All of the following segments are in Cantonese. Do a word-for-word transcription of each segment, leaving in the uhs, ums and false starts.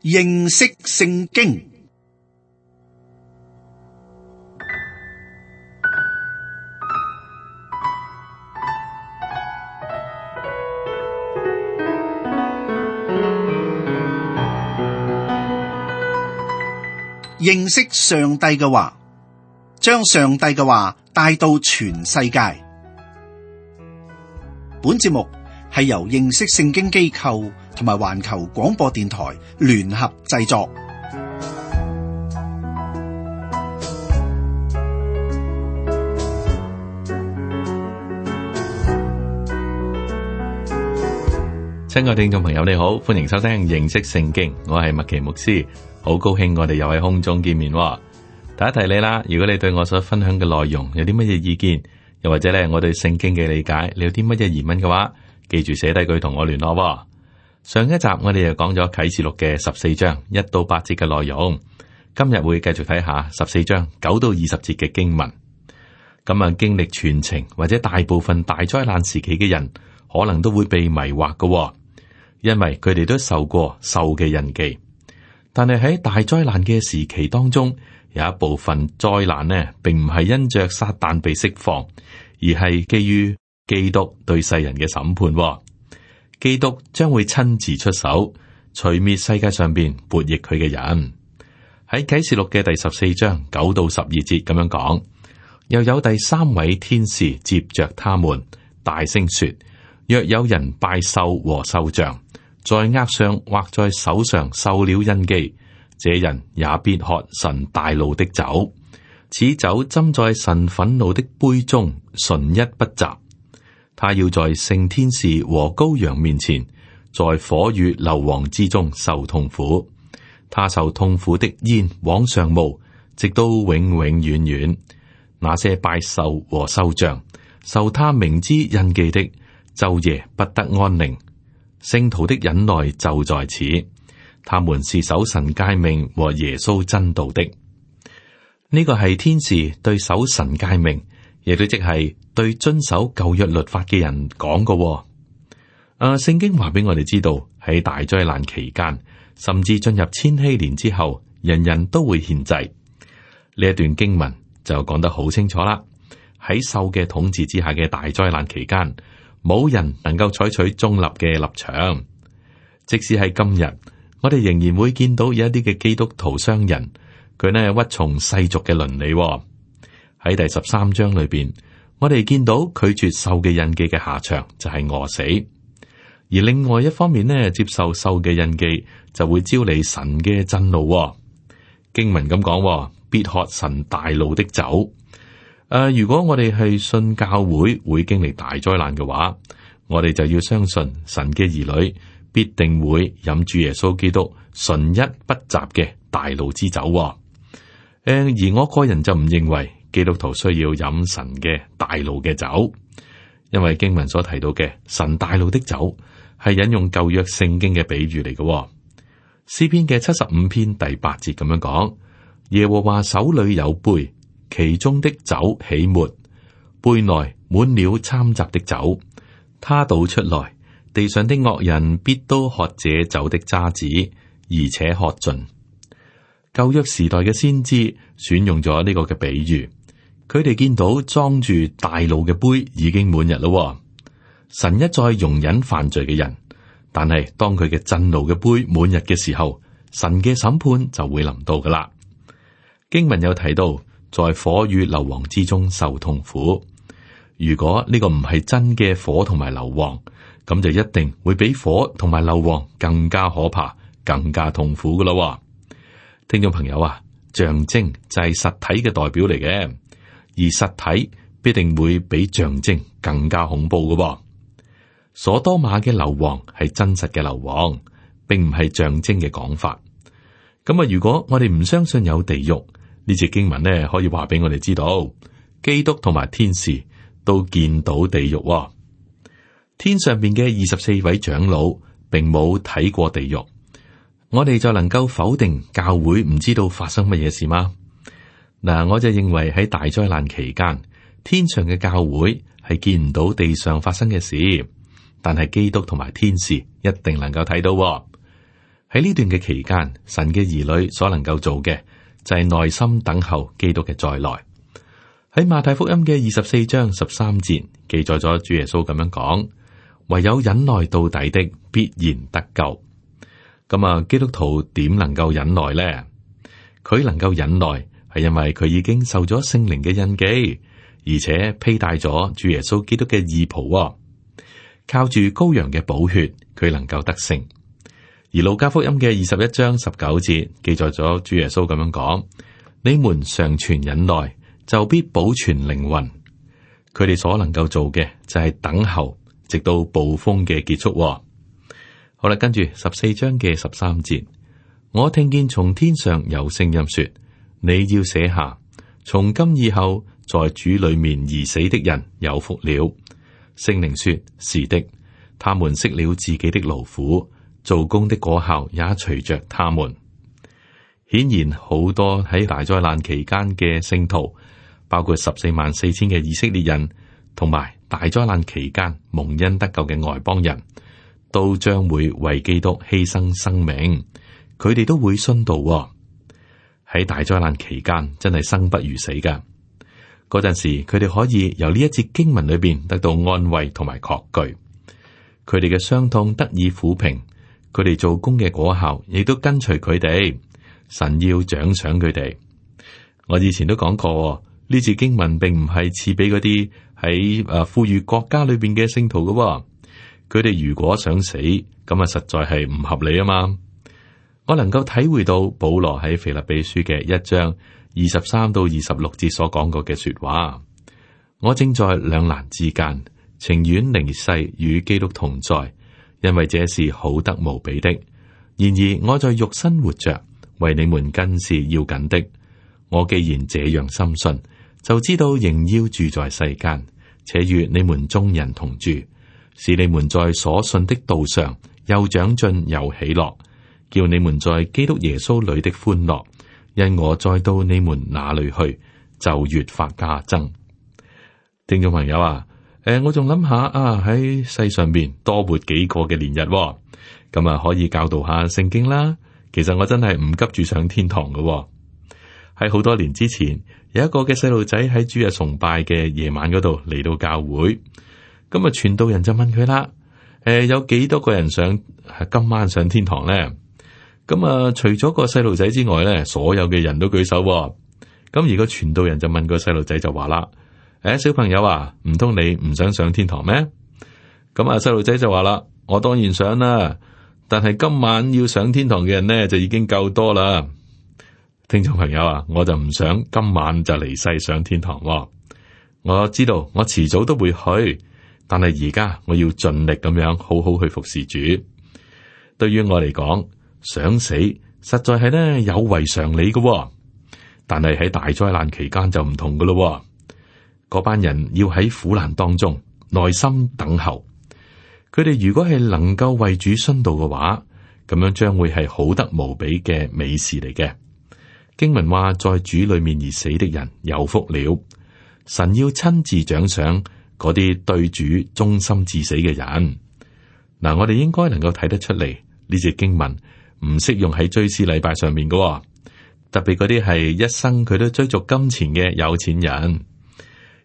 認識聖經。認識上帝嘅話，將上帝嘅話帶到全世界。本節目係由認識聖經機構同埋環球廣播電台聯合製作。親愛聽眾朋友，你好，歡迎收聽認識聖經，我係麥奇牧師，好高興我哋又喺空中見面。第一提你啦，如果你對我所分享嘅內容有啲乜嘢意見，又或者咧我對聖經嘅理解，你有啲乜嘢疑問嘅話，記住寫低佢同我聯絡。上一集我哋又講咗啟示錄嘅十四章一到八節嘅內容，今日會繼續睇下十四章九到二十節嘅經文。咁啊，經歷全程或者大部分大災難時期嘅人，可能都會被迷惑嘅，因為佢哋都受過獸嘅印記。但係喺大災難嘅時期當中，有一部分災難呢，並唔係因着撒旦被釋放，而係基於基督對世人嘅審判。基督將會親自出手，除滅世界上邊悖逆佢嘅人。喺啟示錄嘅第十四章九到十二節咁樣講，又有第三位天使接着他們，大聲說：若有人拜獸和獸像，在額上或在手上受了印記，這人也必喝神大怒的酒。此酒斟在神憤怒的杯中，純一不雜。他要在聖天使和羔羊面前，在火與硫磺之中受痛苦。他受痛苦的煙往上冒，直到永永遠遠。那些拜獸和獸像，受他名之印記的，晝夜不得安寧。聖徒的忍耐就在此，他們是守神誡命和耶穌真道的。呢個係天使對守神誡命，亦都即係對遵守舊約律法嘅人講嘅。誒，聖經話俾我哋知道，喺大災難期間，甚至進入千禧年之後，人人都會獻祭。呢一段經文就講得好清楚啦。喺獸嘅統治之下嘅大災難期間，冇人能夠採取中立嘅立場。即使係今日，我哋仍然會見到有一啲嘅基督徒商人，佢呢屈從世俗嘅倫理。喺第十三章裏邊，我哋見到拒絕獸嘅印記嘅下場就係餓死。而另外一方面呢，接受獸嘅印記就會招嚟神嘅震怒。經文咁講，必喝神大怒的酒。誒、呃，如果我哋係信教會會經歷大災難嘅話，我哋就要相信神嘅兒女必定會飲住耶穌基督純一不雜嘅大怒之酒。誒、呃，而我個人就唔認為基督徒需要飲神嘅大怒嘅酒，因為經文所提到嘅神大怒的酒係引用舊約聖經嘅比喻嚟嘅。詩篇嘅七十五篇第八節咁樣講：耶和華手裏有杯，其中的酒起沫，杯內滿了摻雜的酒，他倒出來，地上的惡人必都喝這酒的渣子，而且喝盡。舊約時代嘅先知選用咗呢個嘅比喻，佢哋見到裝住大怒嘅杯已經滿溢咯。神一再容忍犯罪嘅人，但係當佢嘅震怒嘅杯滿溢嘅時候，神嘅審判就會臨到噶啦。經文有提到，在火與硫磺之中受痛苦。如果呢個唔係真嘅火同埋硫磺，咁就一定會比火同埋硫磺更加可怕、更加痛苦噶啦。聽眾朋友啊，象徵就係實體嘅代表嚟嘅，而實體必定會比象徵更加恐怖噶。所多瑪嘅硫磺係真實嘅硫磺，並唔係象徵嘅講法。咁啊，如果我哋唔相信有地獄，呢節經文呢可以話俾我哋知道，基督同埋天使都見到地獄。天上邊嘅二十四位長老並冇睇過地獄，我哋就能夠否定教會唔知道發生乜嘢事嗎？嗱，我就認為喺大災難期間，天上嘅教會係見唔到地上發生嘅事，但係基督同埋天使一定能夠睇到。喺呢段嘅期間，神嘅兒女所能夠做嘅就係耐心等候基督嘅再來。喺馬太福音嘅二十四章十三節記載咗主耶穌咁樣講：唯有忍耐到底的，必然得救。咁啊，基督徒點能夠忍耐呢？佢能夠忍耐係因為佢已經受咗聖靈嘅印記，而且披戴咗主耶穌基督嘅義袍，靠住羔羊嘅寶血，佢能夠得勝。而路加福音嘅二十一章十九節記載咗主耶穌咁樣講：你們常存忍耐，就必保存靈魂。佢哋所能夠做嘅就係等候，直到暴風嘅結束。好啦，跟住十四章嘅十三節，我聽見從天上有聲音說：你要寫下，從今以後，在主裏面而死的人有福了。聖靈說：是的，他們息了自己的勞苦，做工的果效也隨着他們。顯然，好多喺大災難期間嘅聖徒，包括十四萬四千嘅以色列人，同埋大災難期間蒙恩得救嘅外邦人，都將會為基督犧牲生命。佢哋都會殉道喎。喺大災難期間，真係生不如死噶。嗰陣時，佢哋可以由呢一節經文裏邊得到安慰同埋確據。佢哋嘅傷痛得以撫平，佢哋做工嘅果效亦都跟隨佢哋。神要獎賞佢哋。我以前都講過，呢節經文並唔係賜俾嗰啲喺誒富裕國家裏邊嘅聖徒噶喎。佢哋如果想死，咁啊實在係唔合理啊嘛。我能夠體會到保羅喺腓立比書嘅一章二十三到二十六節所講過嘅說話。我正在兩難之間，情願離世與基督同在，因為這是好得無比的。然而我在肉身活着，為你們更是要緊的。我既然這樣深信，就知道仍要住在世間，且與你們眾人同住，使你們在所信的道上又長進又喜樂，叫你們在基督耶穌裏的歡樂，因我再到你們那裏去，就越發加增。聽眾朋友啊，誒、呃，我仲諗下啊，喺世上邊多活幾個嘅年日，咁啊可以教導下聖經啦。其實我真係唔急住上天堂嘅。喺好多年之前，有一個嘅細路仔喺主日崇拜嘅夜晚嗰度嚟到教會，咁啊傳道人就問佢啦：誒、呃，有幾多個人想今晚上天堂咧？咁啊，除咗個細路仔之外咧，所有嘅人都舉手。咁而個傳道人就問個細路仔就話啦：誒，小朋友啊，唔通你唔想上天堂咩？咁啊，細路仔就話啦：我當然想啦，但係今晚要上天堂嘅人呢，就已經夠多啦。聽眾朋友啊，我就唔想今晚就離世上天堂。我知道我遲早都會去，但係而家我要盡力咁樣好好去服侍主。對於我嚟講，想死實在係呢有違常理嘅，但係喺大災難期間就唔同噶咯。嗰班人要喺苦難當中耐心等候，佢哋如果係能夠為主殉道嘅話，咁樣將會係好得無比嘅美事嚟嘅。經文話，在主裏面而死的人有福了。神要親自獎賞嗰啲對主忠心至死嘅人。嗱，我哋應該能夠睇得出嚟，呢節經文唔適用喺追思禮拜上面嘅，特別嗰啲係一生佢都追逐金錢嘅有錢人。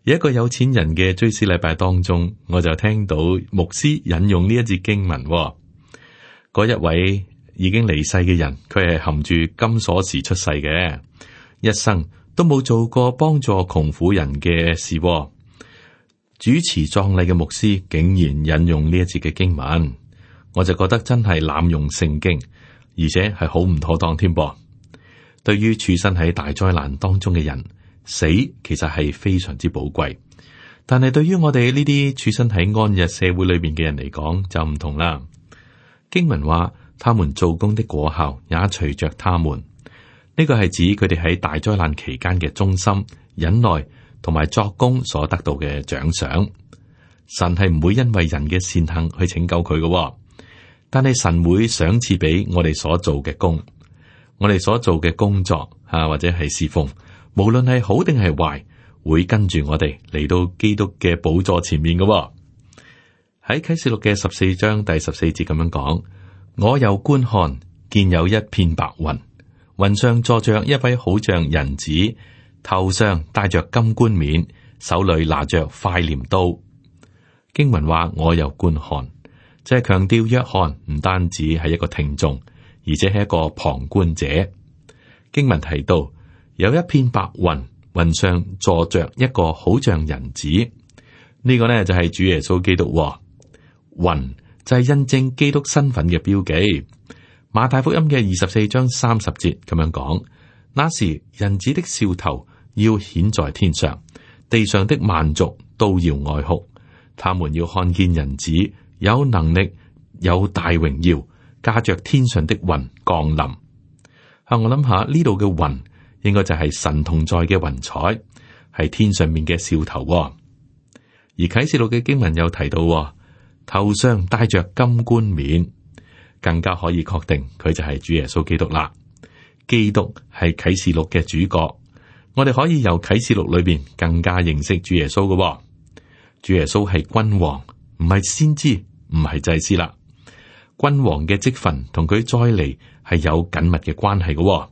而一個有錢人嘅追思禮拜當中，我就聽到牧師引用呢一節經文。嗰一位已經離世嘅人，佢係含住金鎖匙出世嘅，一生都冇做過幫助窮苦人嘅事。主持葬禮嘅牧師竟然引用呢一節嘅經文，我就覺得真係濫用聖經，而且係好唔妥當添噃。對於處身喺大災難當中嘅人，死其實係非常之寶貴，但係對於我哋呢啲處身喺安逸社會裏面嘅人嚟講就唔同啦。經文話，他們做工的果效也隨着他們，呢個係指佢哋喺大災難期間嘅忠心、忍耐同埋作工所得到嘅獎賞。神係唔會因為人嘅善行去拯救佢嘅，但係神會賞賜俾我哋所做嘅工，我哋所做嘅工作啊，或者係侍奉，無論係好定係壞，會跟住我哋嚟到基督嘅寶座前面嘅。喺啟示錄嘅十四章第十四節咁樣講：我又觀看，見有一片白雲，雲上坐着一位好像人子，頭上戴着金冠冕，手裏拿着快鐮刀。經文話我又觀看，就係強調約翰唔單止係一個聽眾，而且係一個旁觀者。經文提到有一片白雲，雲上坐着一個好像人子，呢、這個呢就係主耶穌基督。雲就係印證基督身份嘅標記。馬太福音嘅二十四章三十節咁樣講：那時人子的兆頭要顯在天上，地上的萬族都要哀哭，他們要看見人子有能力、有大榮耀，駕着天上的雲降臨。啊，我諗下呢度嘅雲應該就係神同在嘅雲彩，係天上面嘅兆頭。而啟示錄嘅經文又提到，頭上戴着金冠冕，更加可以確定佢就係主耶穌基督啦。基督係啟示錄嘅主角，我哋可以由啟示錄裏邊更加認識主耶穌嘅。主耶穌係君王，唔係先知，唔係祭司啦。君王嘅職分同佢再嚟係有緊密嘅關係嘅。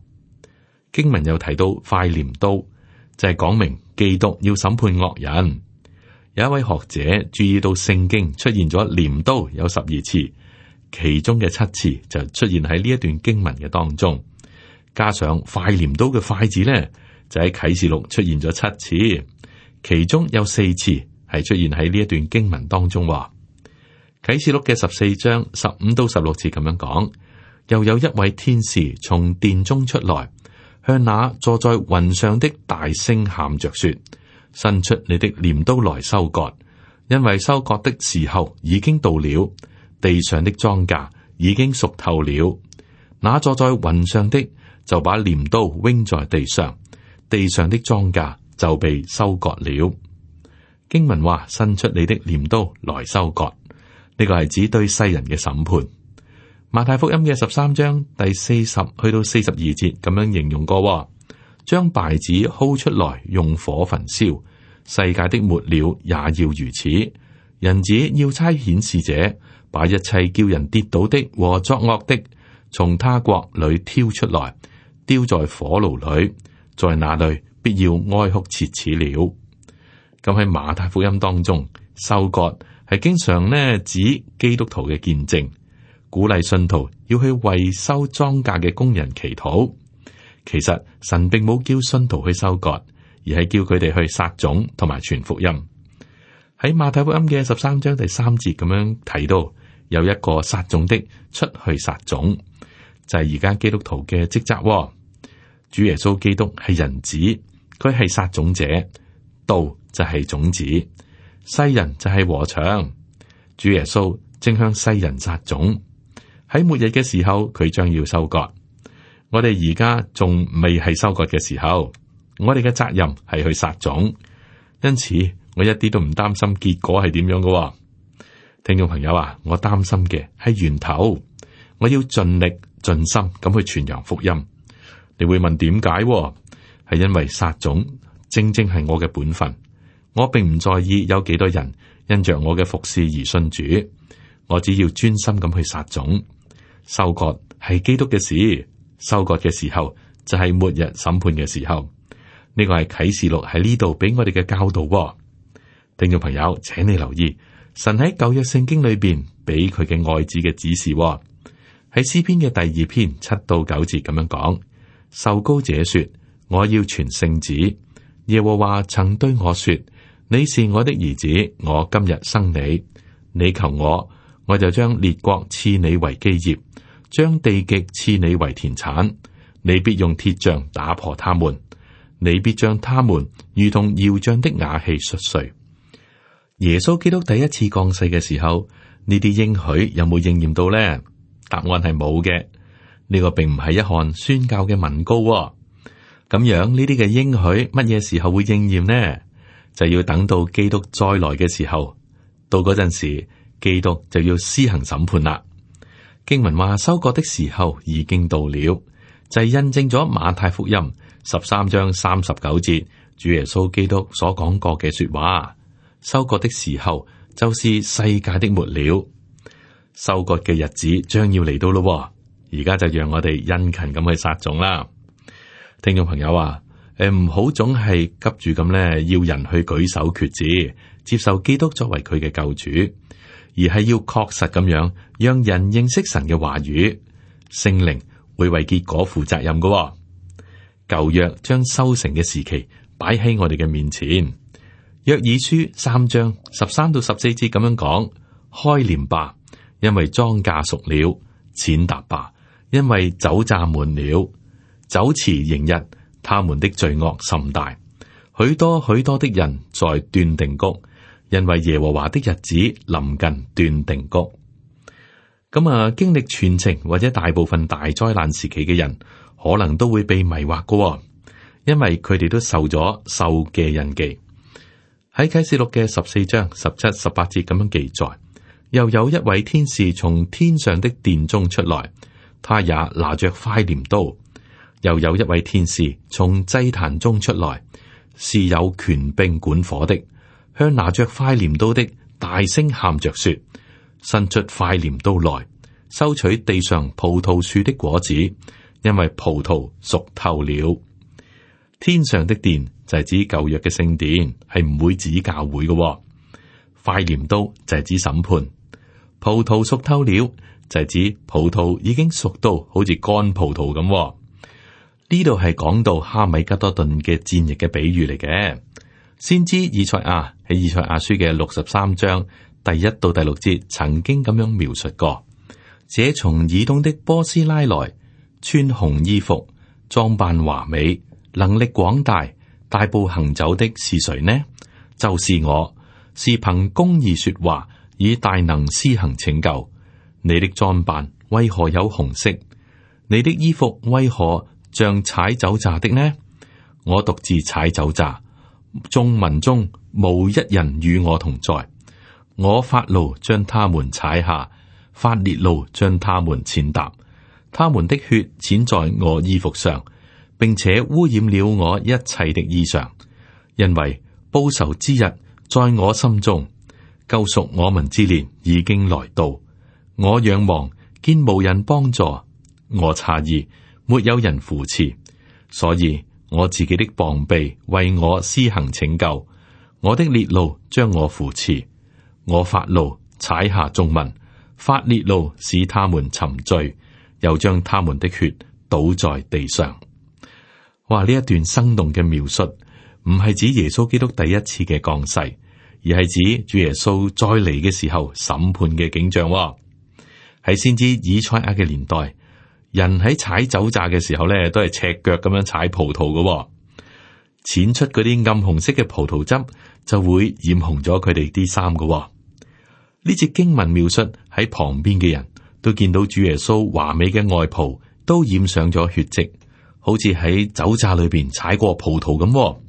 經文又提到快鐮刀，就係講明基督要審判惡人。有一位學者注意到聖經出現咗鐮刀有十二次，其中嘅七次就出現喺呢一段經文嘅當中，加上快鐮刀嘅快字呢，就喺啟示錄出現咗七次，其中有四次係出現喺呢一段經文當中。啟示錄嘅十四章十五到十六節咁樣講，又有一位天使從殿中出來，向那坐在雲上的大聲喊着說：伸出你的鐮刀來收割，因為收割的時候已經到了，地上的莊稼已經熟透了。那坐在雲上的就把鐮刀扔在地上，地上的莊稼就被收割了。經文話：伸出你的鐮刀來收割，呢個係指對世人嘅審判。馬太福音嘅十三章第四十去到四十二節咁樣形容過，將稗子薅出來用火焚燒，世界的末了也要如此。人子要差遣使者，把一切叫人跌倒的和作惡的，從他國裏挑出來，丟在火爐裏，在那裏必要哀哭切齒了。咁喺馬太福音當中，收割係經常呢指基督徒嘅見證，鼓勵信徒要去為收莊稼嘅工人祈禱。其實神並冇叫信徒去收割，而係叫佢哋去撒種同埋傳福音。喺馬太福音嘅十三章第三節咁樣提到，有一個撒種的出去撒種，就係而家基督徒嘅職責。主耶穌基督係人子，佢係撒種者，道就係種子，世人就係禾場。主耶穌正向世人撒種，喺末日嘅時候佢將要收割。我哋而家仲未係收割嘅時候，我哋嘅責任係去撒種，因此我一啲都唔擔心結果係點樣嘅。聽眾朋友啊，我擔心嘅係源頭，我要盡力盡心咁去傳揚福音。你會問點解？係因為撒種正正係我嘅本分，我並唔在意有幾多人因着我嘅服侍而信主，我只要專心咁去撒種。收割係基督嘅事。收割嘅時候就係末日審判嘅時候，呢個係啟示錄喺呢度俾我哋嘅教導。聽眾朋友，請你留意，神喺舊約聖經裏邊俾佢嘅愛子嘅指示，喺詩篇嘅第二篇七到九節咁樣講：受膏者說，我要傳聖旨。耶和華曾對我說，你是我的兒子，我今日生你。你求我，我就將列國賜你為基業，將地極賜你為田產，你必用鐵杖打破他們，你必將他們如同窯匠的瓦器摔碎。耶穌基督第一次降世嘅時候，呢啲應許有冇應驗到呢？答案係冇嘅。呢個並唔係一項宣教嘅文告。咁樣呢啲嘅應許乜嘢時候會應驗呢？就要等到基督再來嘅時候，到嗰陣時，基督就要施行審判啦。經文話收割的時候已經到了，就係印證咗馬太福音十三章三十九節主耶穌基督所講過嘅說話。收割的時候就是世界的末了，收割嘅日子將要嚟到咯。而家就讓我哋殷勤咁去撒種啦。聽眾朋友啊，誒唔好總係急住咁咧，要人去舉手決志，接受基督作為佢嘅救主，而係要確實咁樣讓人認識神嘅話語，聖靈會為結果負責任嘅。舊約將收成嘅時期擺喺我哋嘅面前，約珥書三章十三到十四節咁樣講：開鐮吧，因為莊稼熟了；踐踏吧，因為酒榨滿了。酒池盈溢，他們的罪惡甚大。許多許多的人在斷定谷，因為耶和華的日子臨近斷定谷。咁啊，經歷全程或者大部分大災難時期嘅人，可能都會被迷惑嘅，因為佢哋都受咗獸嘅印記。喺啟示錄嘅十四章十七、十八節咁樣記載，又有一位天使從天上的殿中出來，他也拿着快鐮刀。又有一位天使從祭壇中出來，是有權柄管火的，向拿着快鐮刀的大聲喊着說：伸出快鐮刀來，收取地上葡萄樹的果子，因為葡萄熟透了。天上的殿就係指舊約嘅聖殿，係唔會指教會嘅。快鐮刀就係指審判。葡萄熟透了就係指葡萄已經熟到好似乾葡萄咁。呢度係講到哈米吉多頓嘅戰役嘅比喻嚟嘅。先知以賽亞喺以賽亞書嘅六十三章第一到第六節曾經咁樣描述過：這從以東的波斯拉來，穿紅衣服，裝扮華美，能力廣大，大步行走的是誰呢？就是我，是憑公義說話，以大能施行拯救。你的裝扮為何有紅色？你的衣服為何像踩酒榨的呢？我獨自踩酒榨，眾民中無一人與我同在。我發怒將他們踩下，發烈怒將他們踐踏。他們的血濺在我衣服上，並且污染了我一切的衣裳。因為報仇之日在我心中，救贖我民之年已經來到。我仰望見無人幫助，我詫異沒有人扶持，所以我自己的膀臂為我施行拯救。我的烈怒將我扶持，我發怒踩下眾民，發烈怒使他們沉醉，又將他們的血倒在地上。哇！呢一段生動嘅描述，唔係指耶穌基督第一次嘅降世，而係指主耶穌再嚟嘅時候審判嘅景象。喺先知以賽亞嘅年代，人喺踩酒榨嘅時候咧，都係赤腳咁樣踩葡萄嘅，濺出嗰啲暗紅色嘅葡萄汁，就會染紅咗佢哋啲衫嘅。呢節經文描述喺旁邊嘅人都見到主耶穌華美嘅外袍都染上咗血跡，好似喺酒榨裏邊踩過葡萄咁。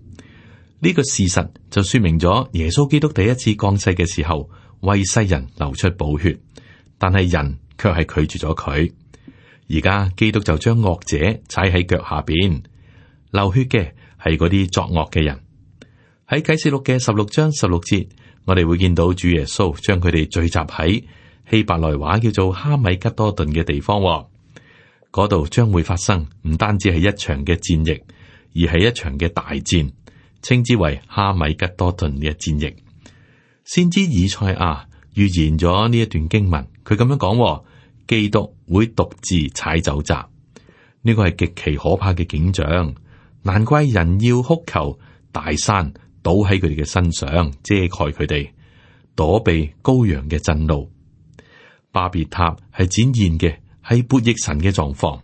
呢個事實就說明咗耶穌基督第一次降世嘅時候為世人流出寶血，但係人卻係拒絕咗佢。而家基督就將惡者踩喺腳下邊，流血嘅係嗰啲作惡嘅人。喺啟示錄嘅十六章十六節，我哋會見到主耶穌將佢哋聚集喺希伯來話叫做哈米吉多頓嘅地方。嗰度將會發生唔單止係一場嘅戰役，而係一場嘅大戰，稱之為哈米吉多頓嘅戰役。先知以賽亞預言咗呢一段經文，佢咁樣講：基督會獨自踩酒榨。呢個係極其可怕嘅景象，難怪人要哭求大山倒喺佢哋嘅身上，遮蓋佢哋，躲避羔羊嘅震怒。巴別塔係展現嘅係悖逆神嘅狀況。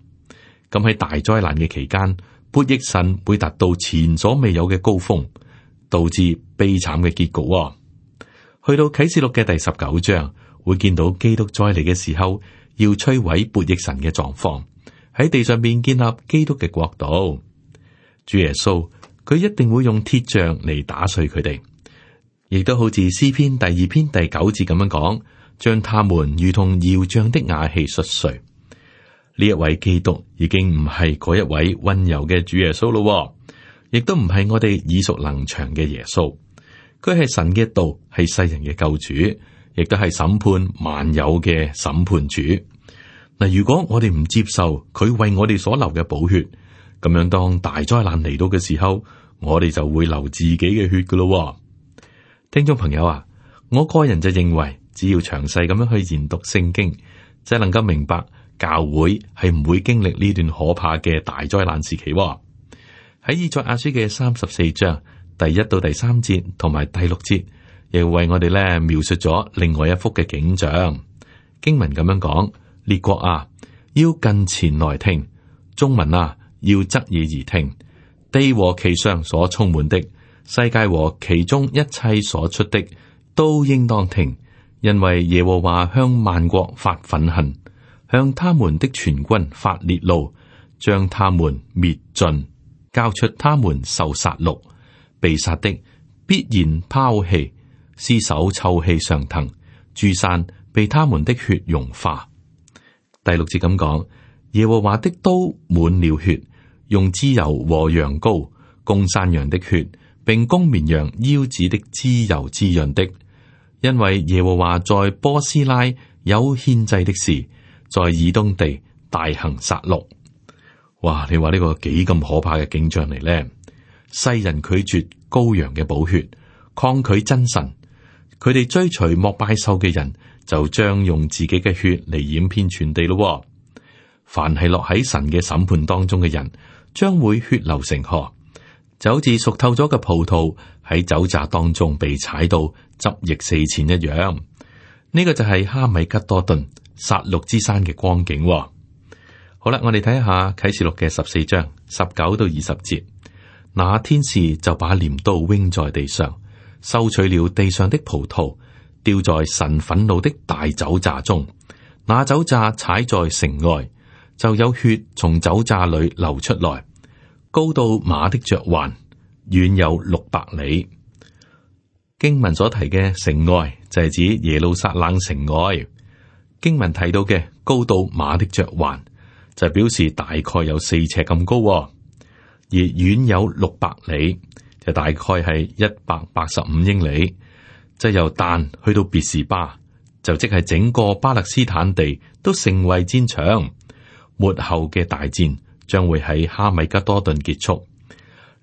咁喺大災難嘅期間，悖逆神會達到前所未有嘅高峰，導致悲慘嘅結局。去到啟示錄嘅第十九章，會見到基督再嚟嘅時候，要摧毀悖逆神嘅狀況，喺地上面建立基督嘅國度。主耶穌佢一定會用鐵杖嚟打碎佢哋，亦都好似詩篇第二篇第九節咁樣講，將他們如同窯匠的瓦器摔碎。呢一位基督已經唔係嗰一位溫柔嘅主耶穌咯，亦都唔係我哋耳熟能詳嘅耶穌。佢係神嘅道，係世人嘅救主，亦都係審判萬有嘅審判主。嗱，如果我哋唔接受佢為我哋所流嘅寶血，咁樣當大災難嚟到嘅時候，我哋就會流自己嘅血噶咯。聽眾朋友啊，我個人就認為，只要詳細咁樣去研讀聖經，就能夠明白教會係唔會經歷呢段可怕嘅大災難時期。喺以賽亞書嘅三十四章第一到第三節同埋第六節，亦為我哋咧描述咗另外一幅嘅景象。經文咁樣講：列國啊，要近前來聽；眾民啊，要側耳而聽。地和其上所充滿的，世界和其中一切所出的，都應當聽，因為耶和華向萬國發憤恨，向他們的全軍發烈怒，將他們滅盡，交出他們受殺戮。被殺的必然拋棄，屍首臭氣上騰，諸山被他們的血融化。第六節咁講：耶和華的刀滿了血，用脂油和羊羔，供山羊的血，並供綿羊腰子的脂油滋潤的。因為耶和華在波斯拉有獻祭的事，在以東地大行殺戮。哇！你話呢個幾咁可怕嘅景象嚟呢？世人拒絕羔羊嘅寶血，抗拒真神，佢哋追隨膜拜獸嘅人，就將用自己嘅血嚟染遍全地咯。凡係落喺神嘅審判當中嘅人，將會血流成河，就好似熟透咗嘅葡萄喺酒榨當中被踩到汁液四濺一樣。呢、這個就係哈米吉多頓殺戮之山嘅光景。好啦，我哋睇下啟示錄嘅十四章十九到二十節。那天使就把鐮刀扔在地上，收取了地上的葡萄，掉在神憤怒的大酒榨中。那酒榨踩在城外，就有血從酒榨裏流出來，高到馬的嚼環，遠有六百里。經文所提嘅城外就係指耶路撒冷城外。經文提到嘅高到馬的嚼環，就表示大概有四尺咁高。而遠有六百里，就大概係一百八十五英里，就由但去到別是巴，就即係整個巴勒斯坦地都成為戰場。末後嘅大戰將會喺哈米吉多頓結束。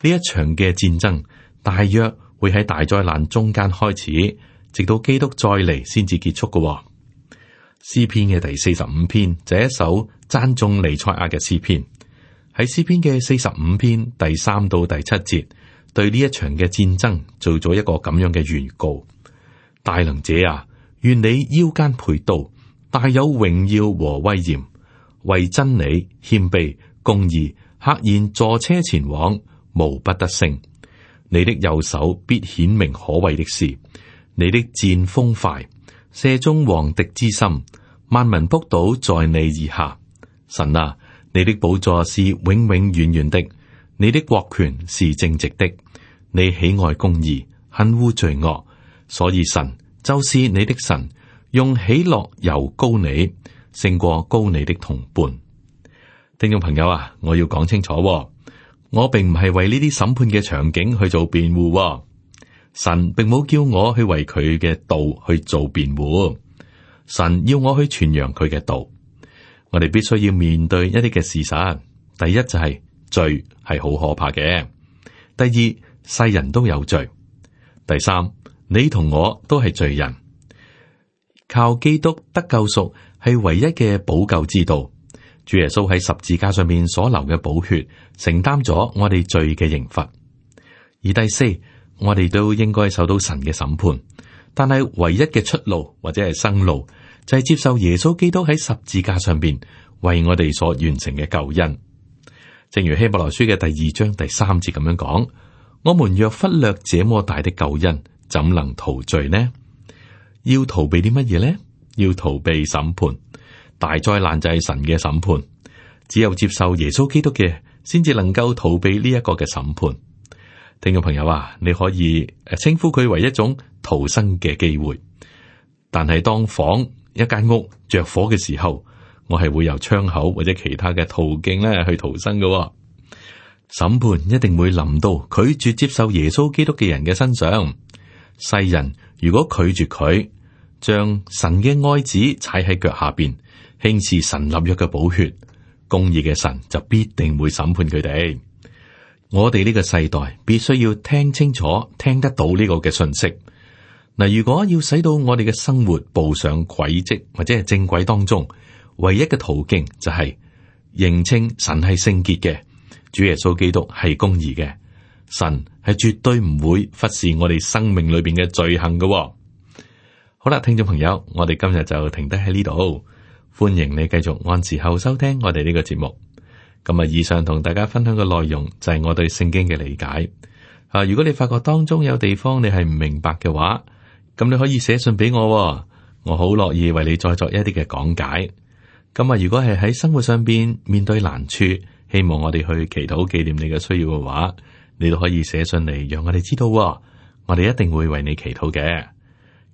呢一場嘅戰爭大約會喺大災難中間開始，直到基督再嚟先至結束嘅。詩篇嘅第四十五篇就係一首讚頌彌賽亞嘅詩篇。喺詩篇嘅四十五篇第三到第七節，對呢一場嘅戰爭做咗一個咁樣嘅預告。大能者啊，願你腰間佩刀，大有榮耀和威嚴，為真理謙卑公義，赫然坐車前往，無不得勝。你的右手必顯明可畏的事，你的箭鋒快，射中王敵之心，萬民仆倒在你以下。神啊，你的寶座是永永遠遠的，你的國權是正直的，你喜愛公義，恨惡罪惡，所以神就是你的神，用喜樂油膏你，勝過膏你的同伴。聽眾朋友啊，我要講清楚，我並唔係為呢啲審判嘅場景去做辯護，神並冇叫我去為佢嘅道去做辯護，神要我去傳揚佢嘅道。我哋必須要面對一啲嘅事實。第一就係罪係好可怕嘅。第二，世人都有罪。第三，你同我都係罪人。靠基督得救贖係唯一嘅補救之道。主耶穌喺十字架上面所流嘅寶血，承擔咗我哋罪嘅刑罰。而第四，我哋都應該受到神嘅審判。但係唯一嘅出路或者係生路，就係接受耶穌基督喺十字架上邊為我哋所完成嘅救恩。正如希伯來書嘅第二章第三節咁樣講：我們若忽略這麼大的救恩，怎能逃罪呢？要逃避啲乜嘢呢？要逃避審判。大災難就係神嘅審判，只有接受耶穌基督嘅，先至能夠逃避呢一個嘅審判。聽眾朋友啊，你可以誒稱呼佢為一種逃生嘅機會。但係當房一間屋着火嘅時候，我係會由窗口或者其他嘅途徑咧去逃生嘅。審判一定會臨到拒絕接受耶穌基督嘅人嘅身上。世人如果拒絕佢，將神嘅愛子踩喺腳下邊，輕視神立約嘅寶血，公義嘅神就必定會審判佢哋。我哋呢個世代必須要聽清楚、聽得到呢個嘅信息。嗱，如果要使到我哋嘅生活步上軌跡或者係正軌當中，唯一嘅途徑就係認清神係聖潔嘅，主耶穌基督係公義嘅，神係絕對唔會忽視我哋生命裏邊嘅罪行嘅。好啦，聽眾朋友，我哋今日就停低喺呢度，歡迎你繼續按時候收聽我哋呢個節目。咁啊，以上同大家分享嘅內容就係我對聖經嘅理解。啊，如果你發覺當中有地方你係唔明白嘅話，咁你可以寫信俾我，我好樂意為你再作一啲嘅講解。咁啊，如果係喺生活上邊面對難處，希望我哋去祈禱紀念你嘅需要嘅話，你都可以寫信嚟，讓我哋知道，我哋一定會為你祈禱嘅。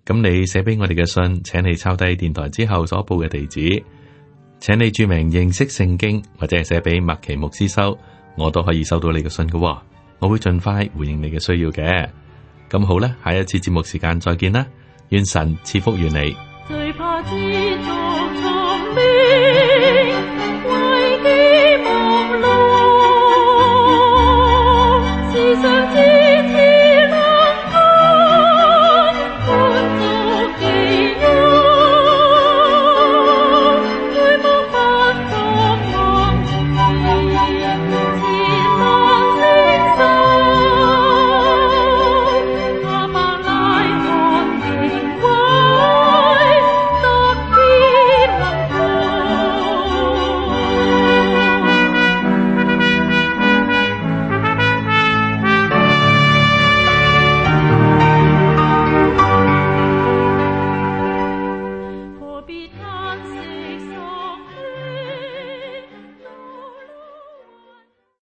咁你寫俾我哋嘅信，請你抄低電台之後所報嘅地址。請你注明認識聖經，或者係寫俾麥奇牧師收，我都可以收到你嘅信嘅。我會盡快回應你嘅需要嘅。咁好啦，下一次節目時間再見啦，願神賜福於你。最怕知足從